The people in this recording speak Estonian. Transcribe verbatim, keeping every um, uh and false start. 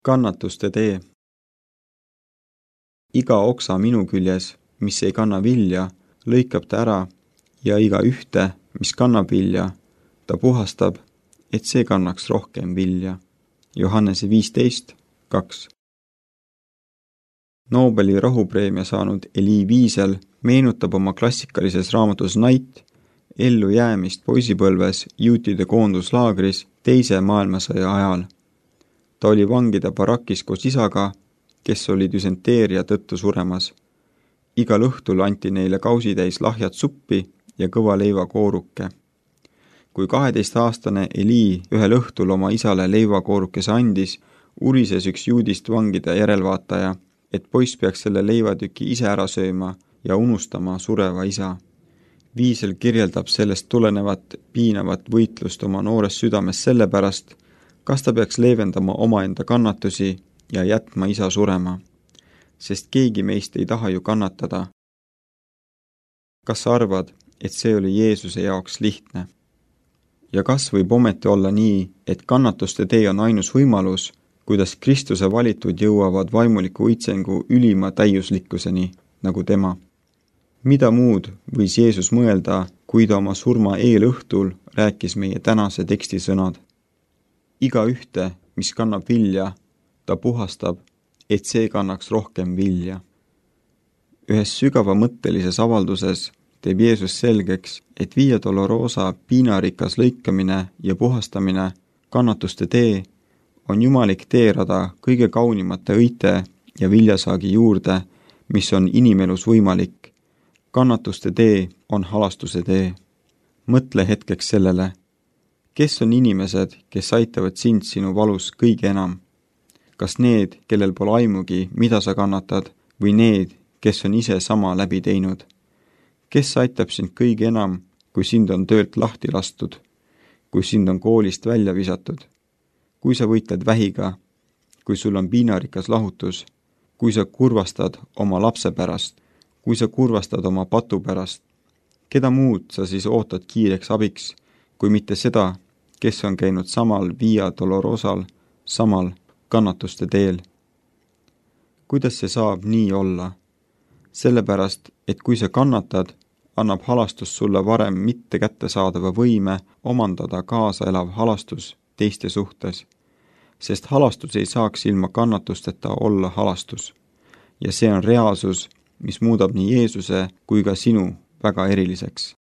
Kannatuste tee. Iga oksa minu küljes, mis ei kanna vilja, lõikab ta ära ja iga ühte, mis kannab vilja, ta puhastab, et see kannaks rohkem vilja. Johannese viisteist kaks. Nobeli rahupreemia saanud Elie Wiesel meenutab oma klassikalises raamatus Night ellujäämist poisipõlves juutide koonduslaagris teise maailmasõja ajal. Ta oli vangide barakis koos isaga, kes oli düsenteeria tõttu suremas. Igal õhtul anti neile kausitäis lahjat suppi ja kõva leivakooruke. Kui kaheteistaastane Elie ühel õhtul oma isale leivakoorukese andis, urises üks juudist vangide järelvaataja, et poiss peaks selle leivatüki ise ära sööma ja unustama sureva isa. Wiesel kirjeldab sellest tulenevat piinavat võitlust oma noores südames sellepärast, kas ta peaks leevendama omaenda kannatusi ja jätma isa surema, sest keegi meist ei taha ju kannatada. Kas sa arvad, et see oli Jeesuse jaoks lihtne? Ja kas võib ometi olla nii, et kannatuste tee on ainus võimalus, kuidas Kristuse valitud jõuavad vaimuliku õitsengu ülima täiuslikkuseni, nagu tema? Mida muud võis Jeesus mõelda, kui ta oma surma eelõhtul rääkis meie tänase teksti sõnad? Iga ühte, mis kannab vilja, ta puhastab, et see kannaks rohkem vilja. Ühes sügavamõttelises avalduses teeb Jeesus selgeks, et Via Dolorosa piinarikas lõikamine ja puhastamine, kannatuste tee, on jumalik teerada kõige kaunimate õite ja viljasaagi juurde, mis on inimelus võimalik. Kannatuste tee on halastuse tee. Mõtle hetkeks sellele, kes on inimesed, kes aitavad sind sinu valus kõige enam? Kas need, kellel pole aimugi, mida sa kannatad, või need, kes on ise sama läbi teinud? Kes aitab sind kõige enam, kui sind on töölt lahti lastud, kui sind on koolist välja visatud, kui sa võitled vähiga, kui sul on piinarikas lahutus, kui sa kurvastad oma lapse pärast, kui sa kurvastad oma patu pärast? Keda muud sa siis ootad kiireks abiks, kui mitte seda, kes on käinud samal Via Dolorosal, samal kannatuste teel? Kuidas see saab nii olla? Sellepärast, et kui sa kannatad, annab halastus sulle varem mitte kättesaadava võime omandada kaasaelav halastus teiste suhtes, sest halastus ei saaks ilma kannatusteta olla halastus. Ja see on reaalsus, mis muudab nii Jeesuse kui ka sinu väga eriliseks.